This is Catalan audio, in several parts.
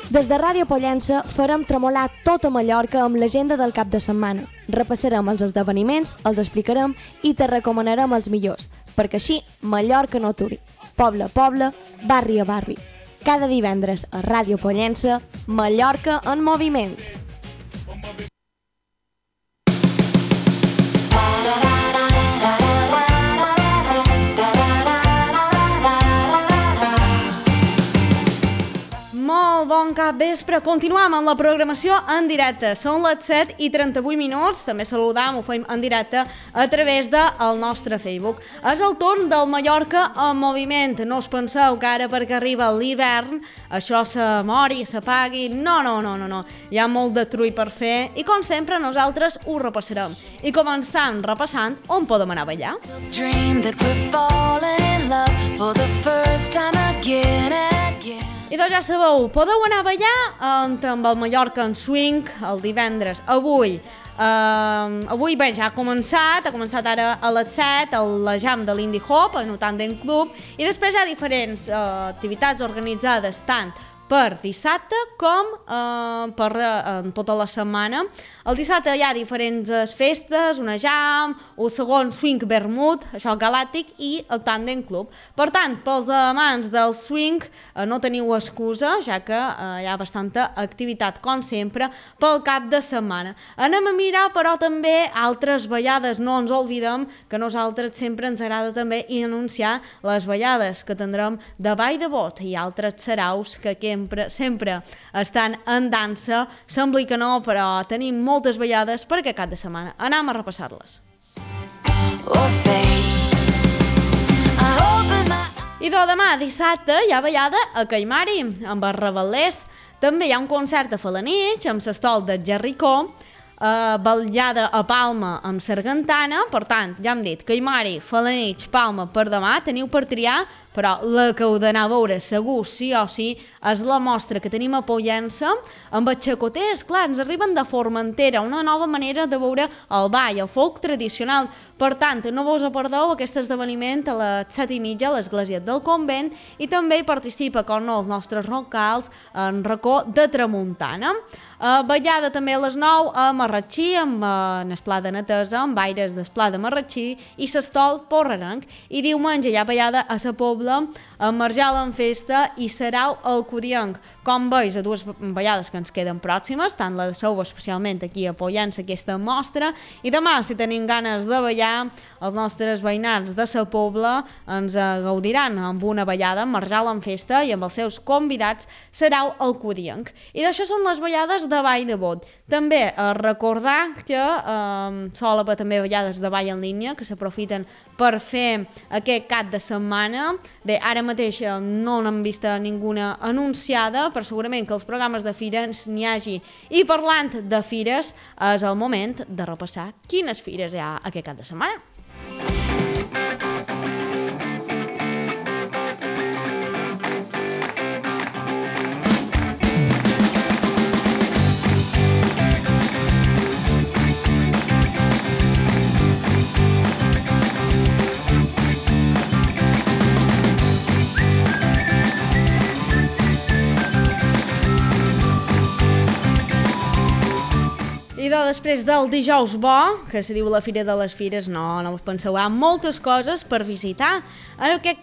Des de Ràdio Pollença farem tremolar tota Mallorca amb l'agenda del cap de setmana. Repassarem els esdeveniments, els explicarem i te recomanarem els millors, perquè així Mallorca no aturi. Poble a poble, barri a barri. Cada divendres a Ràdio Pollença, Mallorca en moviment. Molt bon capvespre. Continuem amb la programació en directe. Són les 7:38. També saludam, ho fem en directe a través del nostre Facebook. És el torn del Mallorca en moviment. No us penseu que ara perquè arriba l'hivern això se mori, s'apagui. No. Hi ha molt de trull per fer i com sempre nosaltres ho repassarem. I començant repassant on podem anar a ballar. I doncs ja sabeu, podeu anar a ballar amb el Mallorca en Swing el divendres. Avui bé, ja ha començat ara a les 7 la jam de l'Indie Hop, en Tandem Club, i després hi ha diferents activitats organitzades tant per dissabte com per tota la setmana. El dissabte hi ha diferents festes, una jam, un segon swing vermut, això galàctic, i el Tandem Club. Per tant, pels amants del swing no teniu excusa, ja que hi ha bastanta activitat, com sempre, pel cap de setmana. Anem a mirar, però, també altres ballades. No ens oblidem que a nosaltres sempre ens agrada també anunciar les ballades que tindrem de Vall de Bot i altres saraus que sempre estan en dansa. Sembla que no, però tenim moltes ballades per aquest cap de setmana. Anem a repassar-les. I demà, dissabte, hi ha ballada a Caimari, amb els Rebel·lers. També hi ha un concert a Falanich, amb l'estol de Jerricó, ballada a Palma amb Sargantana. Per tant, ja hem dit, Caimari, Falanich, Palma per demà, teniu per triar, però la que heu d'anar a veure segur, sí o sí, és la mostra que tenim a Pollença amb els xacoters. Clar, ens arriben de Formentera, una nova manera de veure el ball, el folk tradicional. Per tant, no vos perdeu aquest esdeveniment a les 7:30 a l'Església del Convent, i també hi participa, com no, els nostres locals en Racó de Tramuntana. Ballada també a les 9 a Marratxí, amb el Pla de Netesa, amb aires del Pla de Marratxí i l'Estol Porrerenc. I diumenge hi ha ballada a la Pobla, amb Marjal en Festa i Sarau al Codienc. Com veus, a dues ballades que ens queden pròximes, tant la de Sou, especialment aquí a Pollença, aquesta mostra, i demà, si tenim ganes de ballar, els nostres veïnats de la Pobla ens gaudiran amb una ballada amb Marjal en Festa i amb els seus convidats Sarau al Codienc. I d'això són les ballades de Vall de Bot. També recordar que sol haver també ballades de ball en línia que s'aprofiten per fer aquest cap de setmana. Bé, ara mateix no n'hem vist ninguna anunciada, però segurament que els programes de fires n'hi hagi. I parlant de fires, és el moment de repassar quines fires hi ha aquest cap de setmana. I després del dijous bo, que se diu la Fira de les Fires, no us penseu, hi ha moltes coses per visitar. En aquest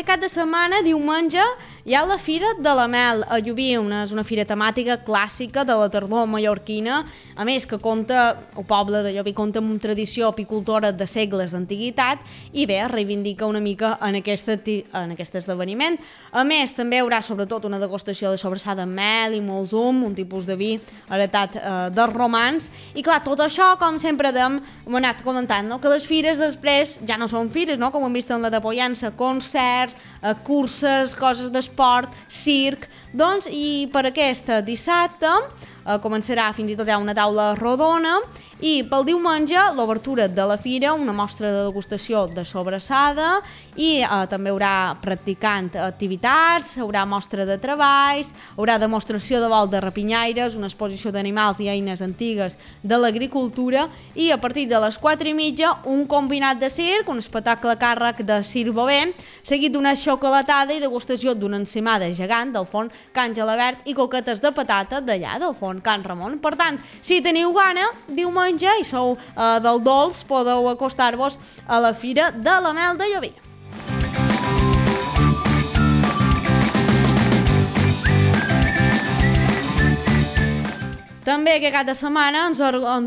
cap de setmana, diumenge, hi ha la Fira de la Mel a Llubí, és una fira temàtica clàssica de la tardor mallorquina, a més que el poble de Llubí compta amb una tradició apicultora de segles d'antiguitat i bé, reivindica una mica en aquest esdeveniment. A més, també hi haurà sobretot una degustació de sobrassada amb mel i molt zum, un tipus de vi heretat dels romans. I clar, tot això, com sempre hem anat comentant, no? Que les fires després ja no són fires, no? Com hem vist en la de Pollença, concerts, curses, coses d'esport, circ. Doncs, i per aquest dissabte començarà, fins i tot hi ha una taula rodona, i pel diumenge l'obertura de la fira, una mostra de degustació de sobrassada i també hi haurà practicant activitats, hi haurà mostra de treballs, hi haurà demostració de vol de rapinyaires, una exposició d'animals i eines antigues de l'agricultura i a partir de les 4:30 un combinat de circ, un espectacle a càrrec de Circ Bové, seguit d'una xocolatada i degustació d'una encimada gegant del forn Can Gelabert i coquetes de patata d'allà del forn Can Ramon. Per tant, si teniu gana, diumenge i sou del dolç, podeu acostar-vos a la Fira de la Mel de Llubí. També aquest cap de setmana ens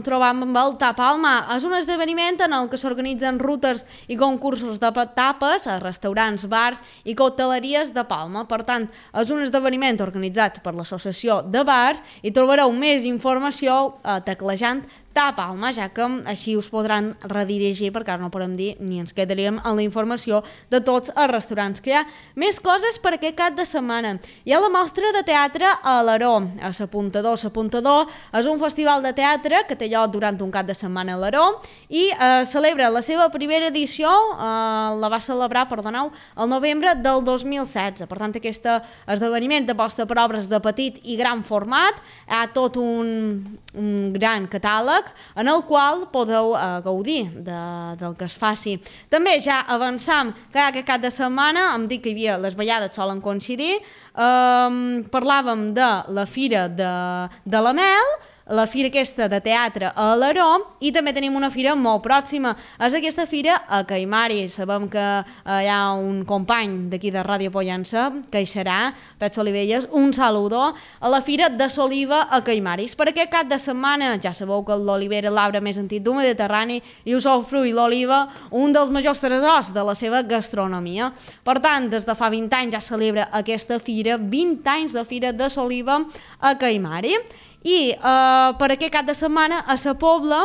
trobam amb el Tapalma. És un esdeveniment en el que s'organitzen rutes i concursos de tapes a restaurants, bars i cocteleries de Palma. Per tant, és un esdeveniment organitzat per l'Associació de Bars i trobareu més informació teclejant Tapalma, ja que així us podran redirigir, perquè ara no podem dir ni ens quedaríem en la informació de tots els restaurants que hi ha. Més coses per aquest cap de setmana. Hi ha la mostra de teatre a l'Aró, a S'Apuntador. S'Apuntador és un festival de teatre que té lloc durant un cap de setmana a l'Aró i celebra la seva primera edició, la va celebrar, perdoneu, el novembre del 2016. Per tant, aquest esdeveniment aposta per obres de petit i gran format. Hi ha tot un gran catàleg en el qual podeu gaudir del que es faci. També ja avançam que aquest cap de setmana, em dic que hi havia les ballades solen coincidir, parlàvem de la Fira de la Mel, la fira aquesta de teatre a l'Aró i també tenim una fira molt pròxima. És aquesta fira a Caimari. Sabem que hi ha un company d'aquí de Ràdio Pollença, que hi serà, Pet Solivelles, un saludo a la fira de Soliva a Caimaris. Per aquest cap de setmana, ja sabeu que l'olivera és l'arbre més antic d'un Mediterrani i us fruit l'oliva, un dels majors tresors de la seva gastronomia. Per tant, des de fa 20 anys ja celebra aquesta fira, 20 anys de fira de Soliva a Caimari. I per aquest cap de setmana a Sa Pobla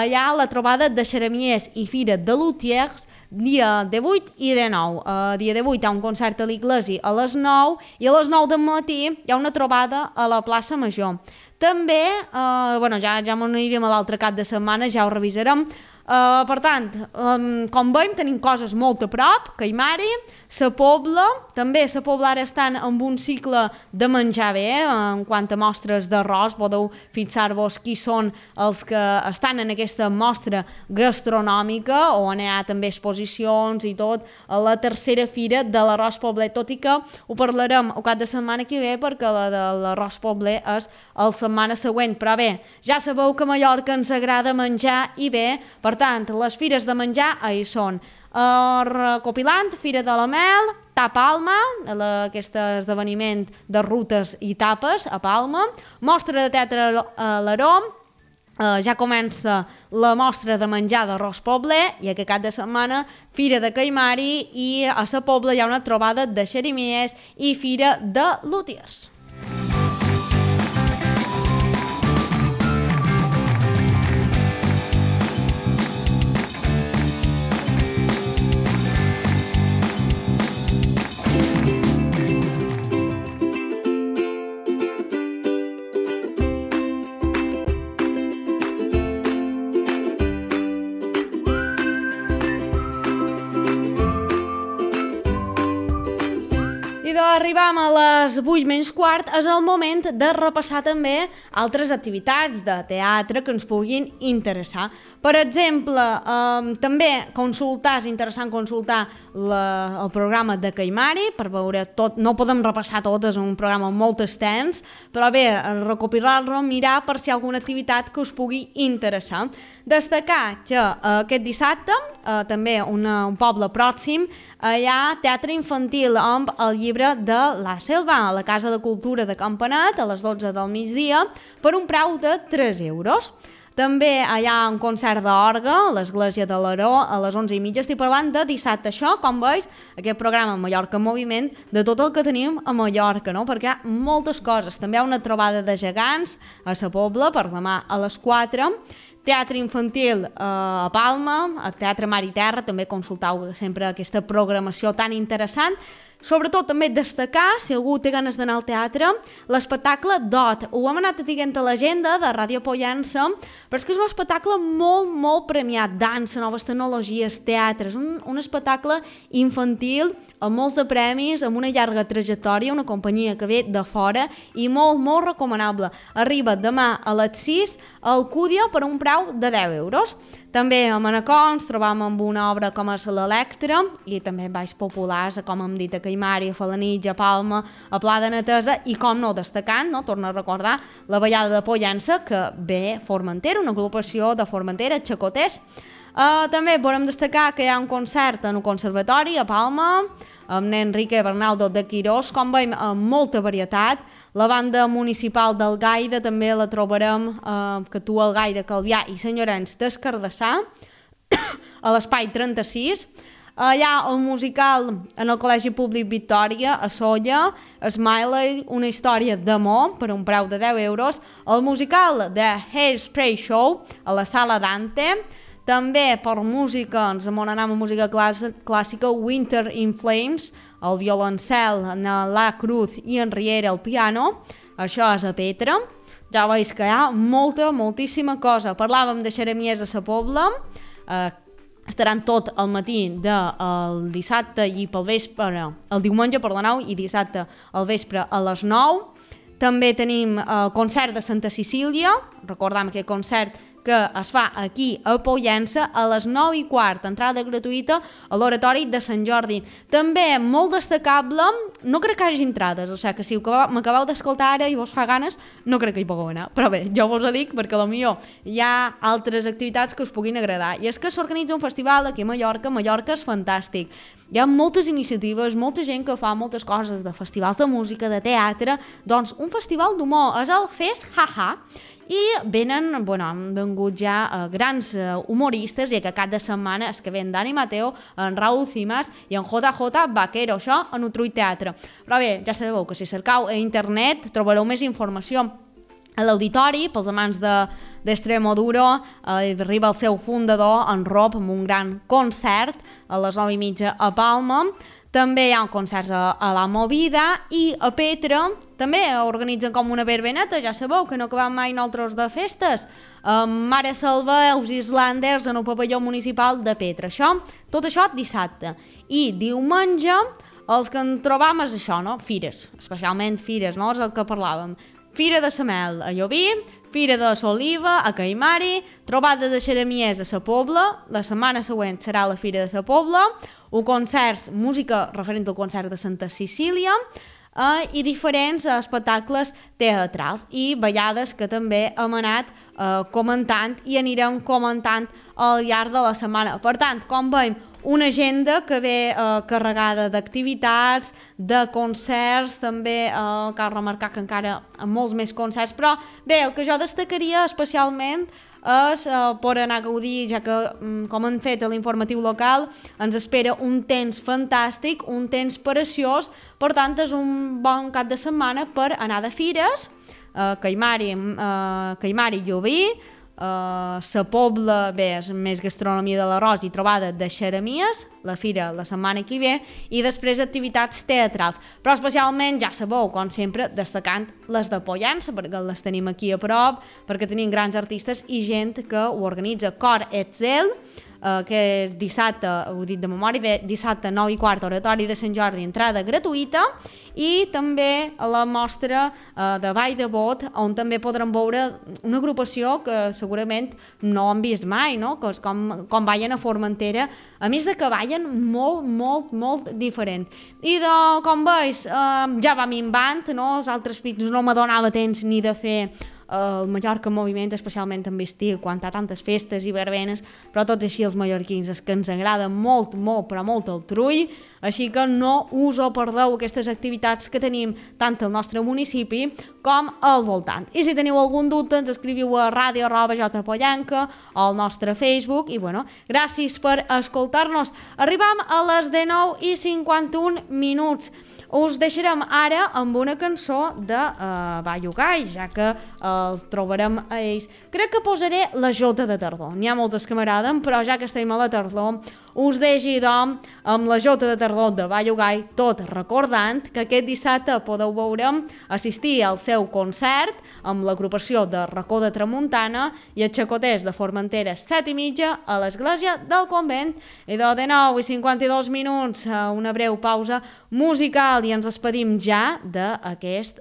hi ha la trobada de xeramiers i fira de lutiers dia 18 i 19. Dia 18 hi ha un concert a l'Iglesi a les 9 i a les 9 del matí hi ha una trobada a la plaça Major. També, ja m'anirem a l'altre cap de setmana, ja ho revisarem. Per tant, com veiem, tenim coses molt a prop, Caimari, Sa Pobla, també Sa Pobla ara estan amb un cicle de menjar bé, en quant a mostres d'arròs, podeu fixar-vos qui són els que estan en aquesta mostra gastronòmica, on hi ha també exposicions i tot, a la tercera fira de l'arròs pobler, tot i que ho parlarem el cap de setmana que ve, perquè la de l'arròs pobler és la setmana següent, però bé, ja sabeu que a Mallorca ens agrada menjar i bé, per tant, les fires de menjar hi són. Recopilant, Fira de la Mel, Tapalma, aquest esdeveniment de rutes i tapes a Palma, mostra de teatre a l'Aró, ja comença la mostra de menjar d'arròs pobler i aquest cap de setmana Fira de Caimari i a Sa Pobla hi ha una trobada de xeramiers i Fira de lutiers. I d'arribam a les 8:15, és el moment de repassar també altres activitats de teatre que ens puguin interessar. Per exemple, també és interessant consultar el programa de Caimari per veure tot, no podem repassar tot, és un programa molt extens, però bé, recopilar-lo, mirar per si hi ha alguna activitat que us pugui interessar. Destacar que aquest dissabte, també un poble pròxim, hi ha teatre infantil amb el llibre de la Selva, a la Casa de Cultura de Campanet, a les 12 del migdia, per un preu de 3 euros. També hi ha un concert d'orgue a l'Església de l'Aró a les 11:30. Estic parlant de dissabte. Això, com veus, aquest programa Mallorca en Moviment, de tot el que tenim a Mallorca, no? Perquè hi ha moltes coses. També hi ha una trobada de gegants a Sa Pobla per demà a les 4. Teatre infantil a Palma, a Teatre Mar i Terra, també consultau sempre aquesta programació tan interessant. Sobretot també destacar, si algú té ganes d'anar al teatre, l'espectacle DOT. Ho hem anat dient a l'agenda de Ràdio Pollença, però és que és un espectacle molt, molt premiat. Dansa, noves tecnologies, teatre. És un espectacle infantil amb molts de premis, amb una llarga trajectòria, una companyia que ve de fora i molt, molt recomanable. Arriba demà a les 6 al Cúdia per un preu de 10 euros. També a Manacor ens trobam amb una obra com és l'Electra i també baix populars, com hem dit, a Caimari, a Falanitx, a Palma, a Pla de Netesa i, com no, destacant, no, torno a recordar, la Ballada de Pollença, que ve Formentera, una agrupació de Formentera, xacoters. També podem destacar que hi ha un concert en un conservatori a Palma, amb Enrique Bernaldo de Quirós, com veiem, amb molta varietat. La banda municipal del Gaida també la trobarem, que actua el Gaida Calvià i Sant Llorenç d'Escardassà, a l'Espai 36. Hi ha el musical en el Col·legi Públic Victòria, a Solla, Smiley, una història d'amor per un preu de 10 euros. El musical de Hairspray Show, a la Sala Dante. També per música, ens anem a música clàssica, Winter in Flames, el violoncel, la Cruz i en Riera al piano. Això és a Petra. Ja veus que hi ha moltíssima cosa. Parlàvem de Xeramies a Sa Pobla, estaran tot el matí del dissabte i pel vespre, el diumenge per la 9 i dissabte al vespre a les 9. També tenim el concert de Santa Cecília, recordem aquest concert que es fa aquí a Pollença a les 9:15, entrada gratuïta a l'Oratori de Sant Jordi. També molt destacable, no crec que hi hagi entrades, o sigui que si m'acabeu d'escoltar ara i vos fa ganes, no crec que hi pugueu anar, però bé, jo vos ho dic perquè potser hi ha altres activitats que us puguin agradar, i és que s'organitza un festival aquí a Mallorca és fantàstic. Hi ha moltes iniciatives, molta gent que fa moltes coses, de festivals de música, de teatre, doncs un festival d'humor, és el Fest Jaja, i han vengut ja grans humoristes, i que cap de setmana és que ven Dani Mateo, en Raúl Cimas i en JJ Vaquero, això en Utrull Teatre. Però bé, ja sabeu que si cercau a internet trobareu més informació. A l'auditori, pels amants d'Extremoduro, arriba el seu fundador, en Rob, amb un gran concert a les 9:30 a Palma. També hi ha concerts a la Movida, i a Petra també organitzen com una verbeneta, ja sabeu que no acabem mai nosaltres de festes. Mare Salva, els Islanders en el pavelló municipal de Petra. Tot això dissabte. I diumenge els que en trobam és això, no? Fires, especialment fires, no? És el que parlàvem. Fira de Samel a Llobí, Fira de Soliva a Caimari, trobada de Xeramies a Sa Pobla, la setmana següent serà la Fira de Sa Pobla, concerts, música referent al concert de Santa Cecília, i diferents espectacles teatrals i ballades que també hem anat comentant i anirem comentant al llarg de la setmana. Per tant, com veiem, una agenda que ve carregada d'activitats, de concerts, també cal remarcar que encara amb molts més concerts, però bé, el que jo destacaria especialment és per anar a gaudir, ja que, com han fet a l'informatiu local, ens espera un temps fantàstic, un temps preciós, per tant és un bon cap de setmana per anar de fires, Caimari i Llobí, Sa Pobla, bé, és més gastronomia de l'arròs i trobada de Xeramies, la fira la setmana que ve, i després activitats teatrals, però especialment, ja sabeu, com sempre, destacant les de Pollença, perquè les tenim aquí a prop, perquè tenim grans artistes i gent que ho organitza. Cor Etzel, que és dissabte, ho he dit de memòria, dissabte 9:15, Oratori de Sant Jordi, entrada gratuïta, i també a la mostra de Vall de Bot, on també podrem veure una agrupació que segurament no han vist mai, no? Que és com ballen a Formentera, a més de que ballen molt diferent. I com veus, ja va minvant, no? Els altres pics no m'adonava temps ni de fer el Mallorca en moviment, especialment en estiu, quan hi ha tantes festes i verbenes, però tot així els mallorquins és que ens agrada molt el trull, així que no us ho perdeu, aquestes activitats que tenim tant al nostre municipi com al voltant. I si teniu algun dubte, ens escriviu a radio@jpollenca o al nostre Facebook, i bueno, gràcies per escoltar-nos. Arribam a les 19:51. Us deixarem ara amb una cançó de Baio Gai, ja que els trobarem a ells. Crec que posaré la Jota de tardor. N'hi ha moltes que m'agraden, però ja que estem a la tardor, us deixi, doncs, amb la Jota de Tardor de Ballogai, tot recordant que aquest dissabte podeu assistir al seu concert amb l'agrupació de Racó de Tramuntana i els xacoters de Formentera 7:30 a l'església del convent. I de 9:52 minuts, una breu pausa musical i ens despedim ja d'aquest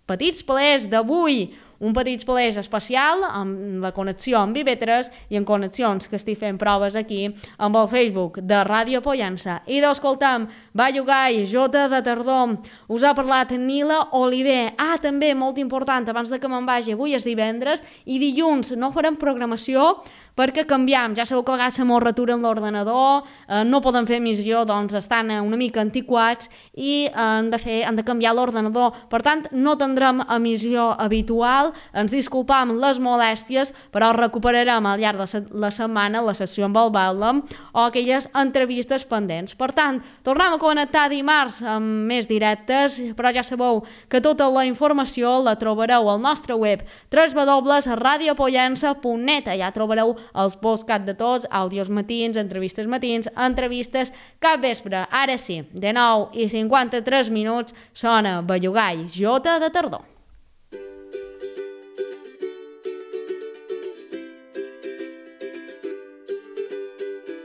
petits palers d'avui. Un petit palès especial amb la connexió amb IB3 i en connexions que estic fent proves aquí amb el Facebook de Ràdio Pollença. I d'escoltam Ballogai, Jota de Tardor, us ha parlat Nila Oliver. També, molt important, abans de que me'n vagi, avui és divendres i dilluns no farem programació perquè canviam. Ja sabeu que a vegades se mos raturen l'ordenador, no poden fer emissió, doncs estan una mica antiquats i han de canviar l'ordenador. Per tant, no tindrem emissió habitual, ens disculpam les molèsties, però recuperarem al llarg de la setmana la sessió amb el Bàlem o aquelles entrevistes pendents. Per tant, tornem a connectar dimarts amb més directes, però ja sabeu que tota la informació la trobareu al nostre web www.radiopollença.net. Allà trobareu els podcasts de tots, àudios matins, entrevistes cap vespre. Ara sí, de 9:53 sona Ballogai, Jota de Tardor.